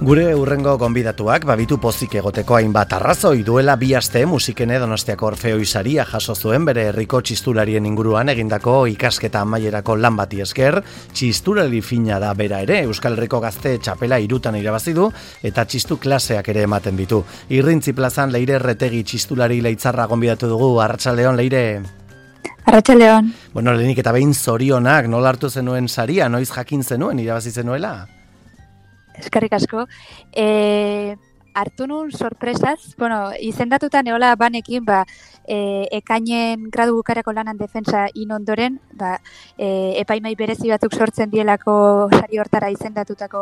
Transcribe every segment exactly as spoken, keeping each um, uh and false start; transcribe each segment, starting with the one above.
Gure urrengo gonbidatuak babitu pozik egoteko hainbat arrazoi duela bi aste Musikene Donostiako Orfeoi saria jaso zuen bere herriko txistularien inguruan egindako ikasketa amaierako lan bati esker. Txistulari fina da bera ere, Euskal Herriko gazte txapela hirutan irabazi du eta txistu klaseak ere ematen ditu. Irrintzi plazan Leire Erretegi txistulari Leitzarra gonbidatu dugu. Arratsaldeon, Leire. Arratsaldeon. Bueno, lehenik eta behin zorionak, nola hartu zenuen saria, noiz jakin zenuen irabazi zenuela? Eskerrik asko. E, hartu nun sorpresaz, bueno, izendatuta neola banekin, ba, e, ekainen gradu bukarako lanan defensa in ondoren, ba, e, epaimai berezi batzuk sortzen dielako sari hortara izendatutako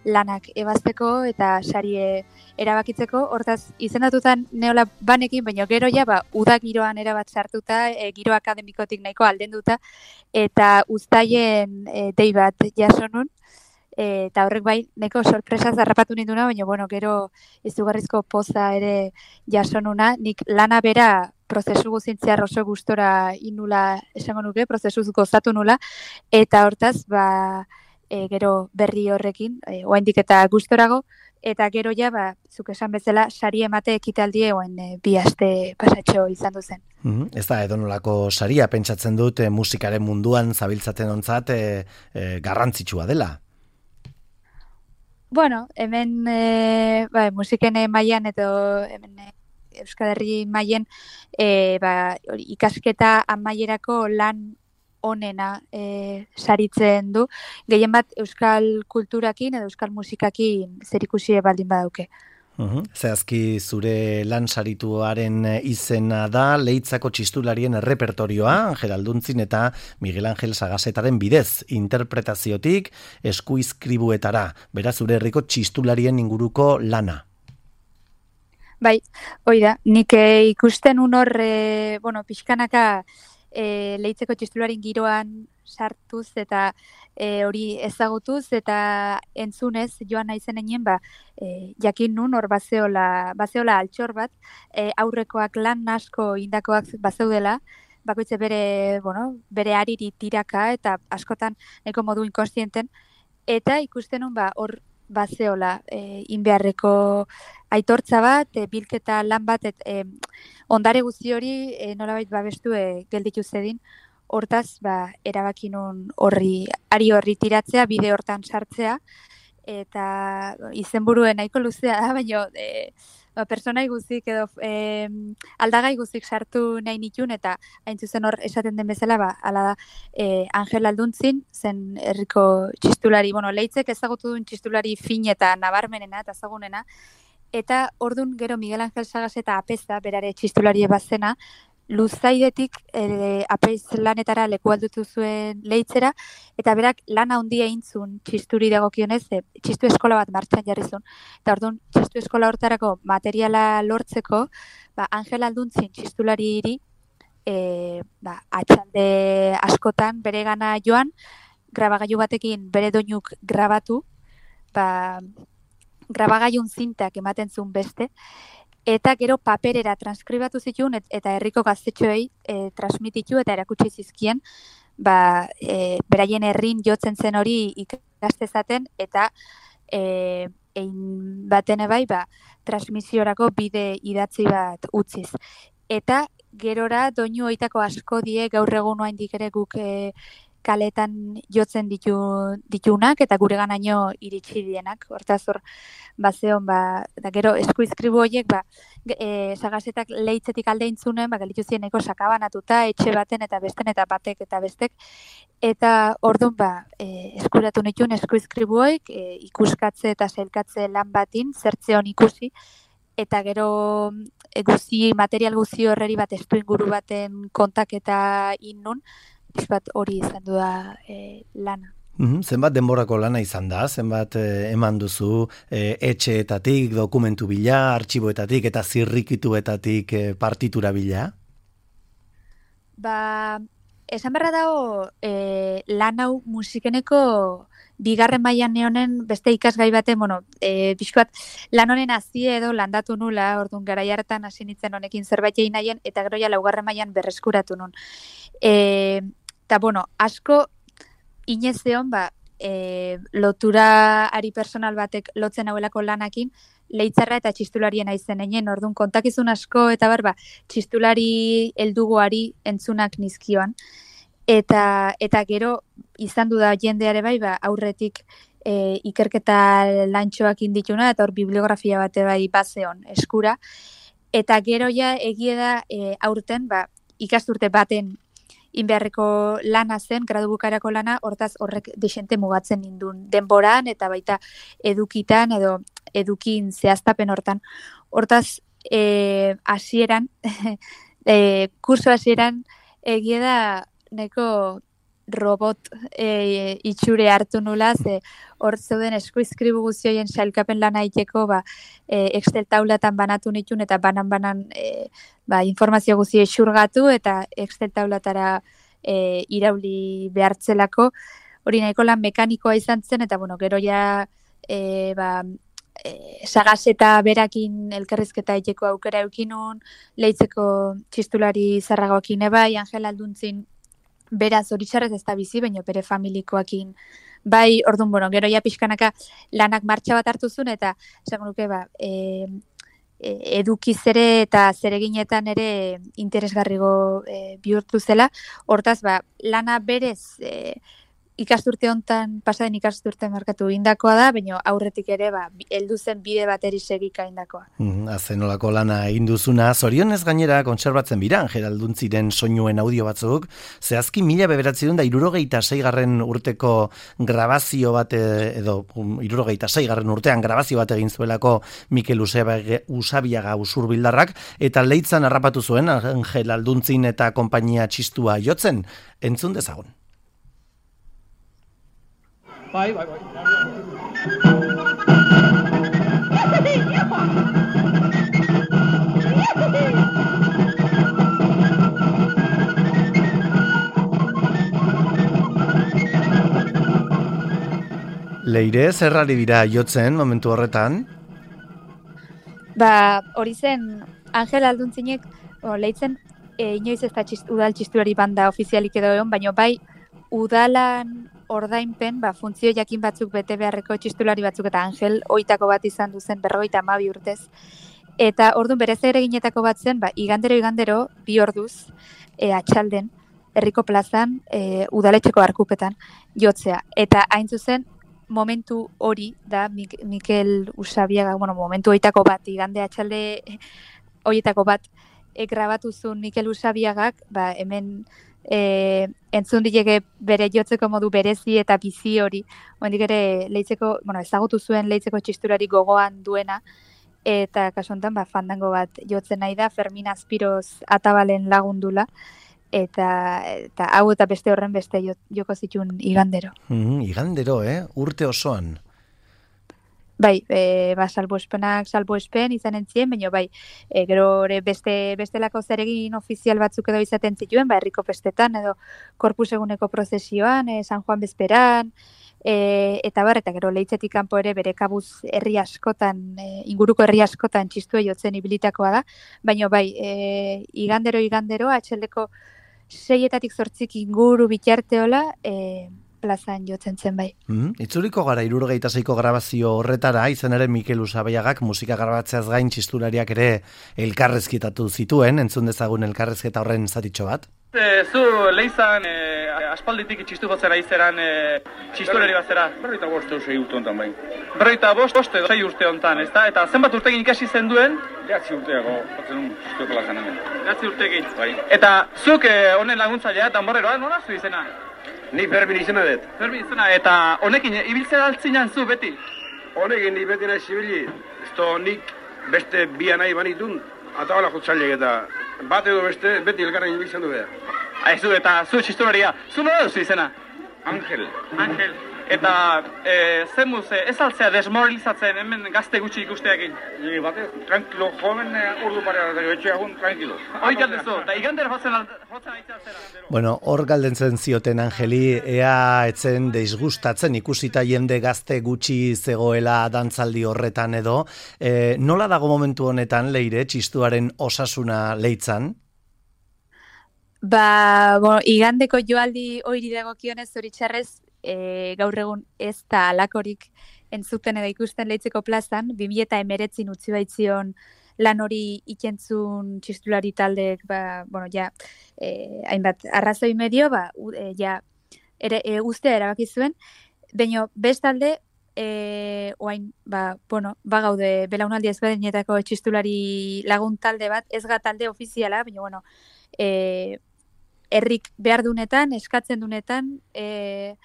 lanak ebazteko eta sarie erabakitzeko. Hortaz, izendatutan neola banekin, baina gero ja, ba, uda giroan erabat sartuta, e, giro akademikotik nahiko aldenduta, eta uztaien e, dei bat jaso nun. Eta horrek bai, neko sorpresa zarrapatu ninduna, baina bueno, gero izugarrizko poza ere jasonuna. Nik lana bera prozesu guzintziar oso gustora inula esango nuke, prozesuz gozatu nula, eta hortaz, ba, e, gero berri horrekin, e, oaindik eta gustorago, eta gero ja, ba, zuk esan bezala, sari emate ekitaldie oen e, bi aste pasatxo izan duzen. Mm-hmm. Ez da edonolako saria, pentsatzen dut e, musikaren munduan zabiltzaten ontzat e, e, garrantzitsua dela. Bueno, hemen e, ba, musiken mailan edo hemen e, Euskal Herri mailen e, ba, ikasketa amaierako lan onena e, saritzen du. Gehien bat Euskal kulturakin edo Euskal musikakin zerikusi baldin badauke. Uhum. Zehazki zure lan sarituaren izena da Leitzako txistularien errepertorioa, Angel Alduntzin eta Miguel Angel Sagasetaren bidez, interpretaziotik eskuizkribuetara, beraz zure herriko txistularien inguruko lana. Bai, hoi da, nik e, ikusten un hor, e, bueno, pixkanaka e, Leitzeko txistularien giroan sartuz eta e, hori ezagutuz eta entzunez joan naizen egin, ba, e, jakin nun hor bazeola, bazeola altxor bat, e, aurrekoak lan asko indakoak bazeudela, bakoitze bere, bueno, bere ariri tiraka eta askotan nahiko modu inkonstienten, eta ikusten nun ba, hor bazeola e, inbeharreko aitortza bat, e, bilketa lan bat, et, e, ondare guzti hori e, nolabait babestu e, gelditu zedin. Hortaz, ba, erabakinun horri, ari horri tiratzea, bide hortan sartzea, eta izenburuen nahiko luzea da, baina e, ba, personai guzik edo e, aldagai guzik sartu nahi nitun, eta hain zuzen hor esaten den bezala, ba, ala da, e, Angel Alduntzin, zen herriko txistulari, bueno, Leitzek ezagutu duen txistulari fin eta nabarmenena eta ezagunena, eta ordun gero Miguel Angel Sagaseta apeza, berare txistulari bazena, luzaidetik e, apeiz lanetara leku aldutu zuen Leitzera, eta berak lan handia eintzun txisturi dagokionez, e, txistu eskola bat martxan jarri zuen. Eta orduan, txistu eskola hortarako materiala lortzeko, ba, Angel Alduntzin txistulari hiri, e, ba, atxalde askotan bere gana joan, grabagailu batekin bere doinuk grabatu, ba, grabagailun zintak ematen zuen beste, eta gero paperera transkribatu zituen et, eta herriko gaztetxoei e, transmititu eta erakutsi zizkien, ba, e, beraien herrin jotzen zen hori ikastezaten eta e, ein baten bai, ba, transmisiorako bide idatzi bat utziz. Eta gerora doinu hoitako asko die gaur egun oraindik ere guk e, kaletan jotzen ditu, ditunak eta gure ganaino iritsi dienak. Hortaz hor, bazeon, ba, da gero eskuizkribu horiek, ba, e, Sagasetak Leitzetik alde intzunen, ba, galitu ziren eko sakabanatuta, etxe baten eta besten eta batek eta bestek. Eta orduan, ba, e, eskuratu nituen eskuizkribu horiek, e, ikuskatze eta sailkatze lan batin, zertze hon ikusi, eta gero e, guzi, material guzi horreri bat estu inguru baten kontaketa innun, bat hori izan du da e, lana. Mm-hmm. Zenbat denborako lana izan da, zenbat eh, eman duzu eh, etxeetatik, dokumentu bila, artxiboetatik eta zirrikituetatik eh, partitura bila? Ba, esan berra dago e, lan hau musikeneko bigarren mailan neonen beste ikasgai baten, bueno, e, pixkoat lan honen hazie edo landatu nula, orduan garai hartan hasi nintzen honekin zerbait egin nahien, eta gero ja laugarren mailan berreskuratu nun. E, eta, bueno, asko inez zeon, ba, e, lotura ari personal batek lotzen hauelako lanakin, leitzarra eta txistularien aizen einen, orduan kontakizun asko eta barba, txistulari heldugoari entzunak nizkioan. Eta, eta gero izan du da jendeare bai, ba, aurretik e, ikerketa lantxoak indituna, eta hor bibliografia bate bai bazeon eskura. Eta gero ja egie da e, aurten, ba, ikasturte baten inbeharreko lana zen, gradu bukarako lana, hortaz horrek desente mugatzen nindun denboran, eta baita edukitan edo edukin zehaztapen hortan. Hortaz, e, hasieran, e, kurso hasieran egie da neko robot e, itxure hartu nula, ze hor zeuden eskuizkribu guztioien sailkapen lana iteko, ba, e, Excel taulatan banatu nitun, eta banan-banan e, ba, informazio guztie xurgatu, eta Excel taulatara e, irauli behartzelako, hori nahiko lan mekanikoa izan zen, eta bueno, gero ja e, ba, e, sagaz eta berakin elkarrizketa iteko aukera eukinun, leitzeko txistulari zarragoakin ebai, Angel Alduntzin beraz zoritxarrez ez da bizi, baina bere familikoakin bai, orduan, bueno, gero ja pixkanaka lanak martxa bat hartu zuen, eta esan nuke, ba, e, e, edukiz ere eta zereginetan ere interesgarrigo e, bihurtu zela, hortaz, ba, lana berez e, ikasturte hontan, pasaden ikasturte markatu indakoa da, baina aurretik ere, ba, heldu zen bide bateri segika indakoa. Mm, azenolako lana egin duzuna, zorionez gainera kontserbatzen bira, Angel Alduntziren soinuen audio batzuk, zehazki mila bederatziehun da hirurogeita seigarren urteko grabazio bat, edo hirurogeita seigarren urtean grabazio bat egin zuelako Mikel Usabiaga Usurbildarrak, eta leitzan harrapatu zuen Angel Alduntzin eta konpainia txistua jotzen, entzun dezagun. Bai, bai, bai. Leire, zerrari dira jotzen momentu horretan? Ba, hori zen, Angel Alduntzinek, o, leitzen, e, inoiz ez da txist, udal txistulari banda ofizialik edo egon, baina bai, udalan ordainpen, ba, funtzio jakin batzuk bete beharreko txistulari batzuk, eta Angel oitako bat izan duzen berrogeita hamabi urtez. Eta orduan berez ere ginetako bat zen, ba, igandero igandero bi orduz e, atxalden, herriko plazan, e, udaletxeko arkupetan jotzea. Eta hain zuzen, momentu hori da Mik- Mikel Usabiaga, bueno, momentu oitako bat, igande atxalde horietako bat, e, grabatu zuen Mikel Usabiagak, ba, hemen E, entzun dilege bere jotzeko modu berezi eta bizi hori, hondik ere leitzeko, bueno, ezagutu zuen leitzeko txisturari gogoan duena, eta kasu honetan ba, fandango bat jotzen nahi da, Fermin Azpiroz atabalen lagundula, eta, eta hau eta beste horren beste joko zituen igandero. Mm, igandero, eh? Urte osoan. Bai, e, ba, salbuespenak salbuespen izan entzien, baina bai, e, gero beste bestelako zeregin ofizial batzuk edo izaten zituen, ba, herriko festetan edo korpus eguneko prozesioan, e, San Juan bezperan, e, eta bar, eta gero leitzetik kanpo ere bere kabuz herri askotan, e, inguruko herri askotan txistua jotzen ibilitakoa da, baina bai, e, igandero igandero, atxeldeko seietatik zortzik inguru bitarteola, e, plazan jotzen zen bai. Mm, itzuliko gara hirurogeita seiko grabazio horretara, izan ere Mikel Usabiagak musika grabatzeaz gain txistulariak ere elkarrezketatu zituen, entzun dezagun elkarrezketa horren zatitxo bat. E, zu leizan e, aspalditik txistu jotzen aizeran e, txistulari bat zera? Berroita bost edo sei urte honetan bai. Berroita bost, bost edo sei urte honetan, ezta? Eta zenbat urtekin ikasi zen duen? Behatzi urteako, jotzen un txistu plazan hemen. Behatzi urtekin. Bai. Eta zuk e, honen laguntzailea, danborreroa, nola zu izena? Ni Fermin izena dut. Fermin izena, eta honekin ibiltzen altzinan zu beti? Honekin ni beti nahi zibili, ez to nik beste bia nahi banitun, atabala jotzaileak eta bat edo beste beti elkarren ibiltzen du behar. Aizu, eta zu txistularia, zu nola duzu izena? Angel. Angel. Eta e, zen muz, ez altzea desmoralizatzen hemen gazte gutxi ikusteakin? Nire batez, tranquilo, joven urdu parean, eta etxe agun, tranquilo. Hoi galdezu, eta igandera jotzen aitzea zera. Bueno, hor galdentzen zioten Angeli, ea etzen deisgustatzen ikusita jende gazte gutxi zegoela dantzaldi horretan edo. E, nola dago momentu honetan, Leire, txistuaren osasuna leitzan? Ba, bueno, igandeko joaldi oiri dagokionez zoritxarrez, e, gaur egun ez da alakorik entzuten edo ikusten Leitzeko plazan, bi mila hemeretzin utzi baitzion lan hori ikentzun txistulari taldeek, ba, bueno, ja, e, hainbat arrazoi medio, ba, e, ja, ere, e, ustea erabaki zuen, baina bestalde, e, oain, ba, bueno, ba gaude belaunaldi ezberdinetako txistulari lagun talde bat, ez ga talde ofiziala, baina, bueno, e, herrik behar dunetan, eskatzen dunetan, e,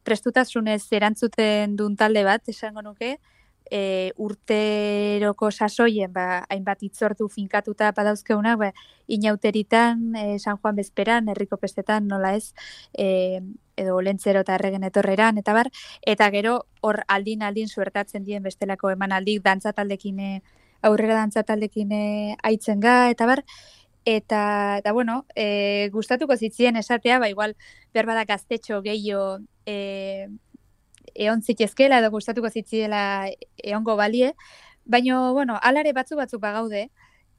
prestutasunez erantzuten duen talde bat, esango nuke, e, urteroko sasoien, ba, hainbat itzortu finkatuta badauzkeunak, ba, inauteritan, e, San Juan Bezperan, herriko pestetan, nola ez, e, edo Olentzero eta Erregen etorreran, eta bar, eta gero hor aldin-aldin suertatzen dien bestelako emanaldik dantzataldekin, aurrera dantzataldekin aitzen ga, eta bar, eta, eta bueno, e, gustatuko zitzien esatea, ba, igual, berbada gaztetxo gehiago e, eon zitzezkela, edo gustatuko zitziela eongo balie, baina, bueno, alare batzu batzuk bagaude,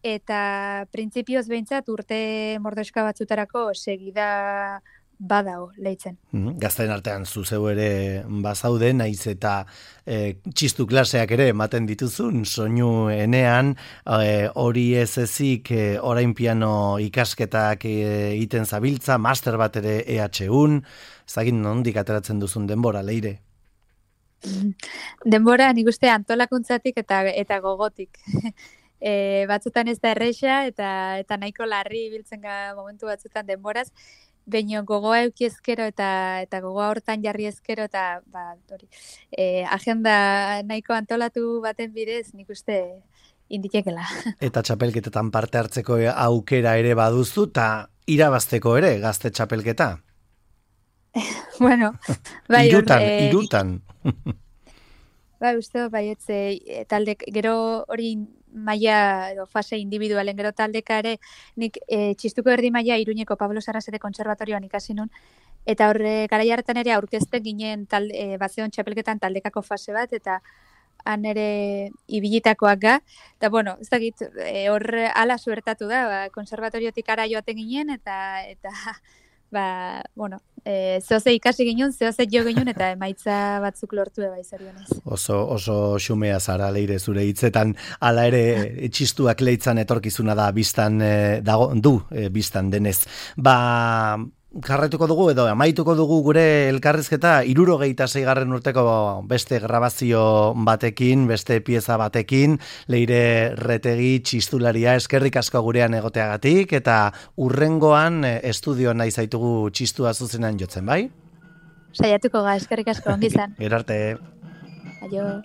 eta printzipioz behintzat urte mordoska batzutarako segida badao leitzen. Mm, gazten artean zuzeu ere bazaude, naiz eta e, txistu klaseak ere ematen dituzun, soinu enean, e, hori ez ezik e, orain piano ikasketak egiten e, zabiltza, master bat ere E H Un, ezagin nondik ateratzen duzun denbora, Leire? Denbora nik uste antolakuntzatik eta eta gogotik. E, batzutan ez da erresa eta eta nahiko larri ibiltzen ga momentu batzutan denboraz, baina gogoa euki ezkero eta eta gogoa hortan jarri ezkero eta ba, hori, e, agenda nahiko antolatu baten bidez nik uste inditekela. Eta txapelketetan parte hartzeko aukera ere baduzu eta irabazteko ere gazte txapelketa? Bueno, bai, irutan, e, irutan. Bai, uste, bai, etze, talde, gero hori maila edo fase individualen gero taldeka ere, nik e, txistuko erdi maila Iruñeko Pablo Sarasate Kontserbatorioan ikasi nun, eta horre garai hartan ere aurkezten ginen talde, e, bazeon txapelketan taldekako fase bat, eta han ere ibilitakoak ga, eta bueno, ez dakit, e, horre ala suertatu da, ba, konservatoriotik ara joaten ginen, eta, eta ba, bueno, e, zehoze ikasi ginen, zehoze jo ginen, eta emaitza batzuk lortu eba izorionez. Oso, oso xumea zara, Leire, zure hitzetan, ala ere txistuak leitzan etorkizuna da biztan e, dago, du e, biztan denez. Ba, jarraituko dugu edo amaituko dugu gure elkarrizketa hirurogeita seigarren urteko beste grabazio batekin, beste pieza batekin, Leire Retegi txistularia, eskerrik asko gurean egoteagatik, eta urrengoan estudioan nahi zaitugu txistua zuzenan jotzen, bai? Saiatuko ga, eskerrik asko, ongi izan. Gerarte. Aio.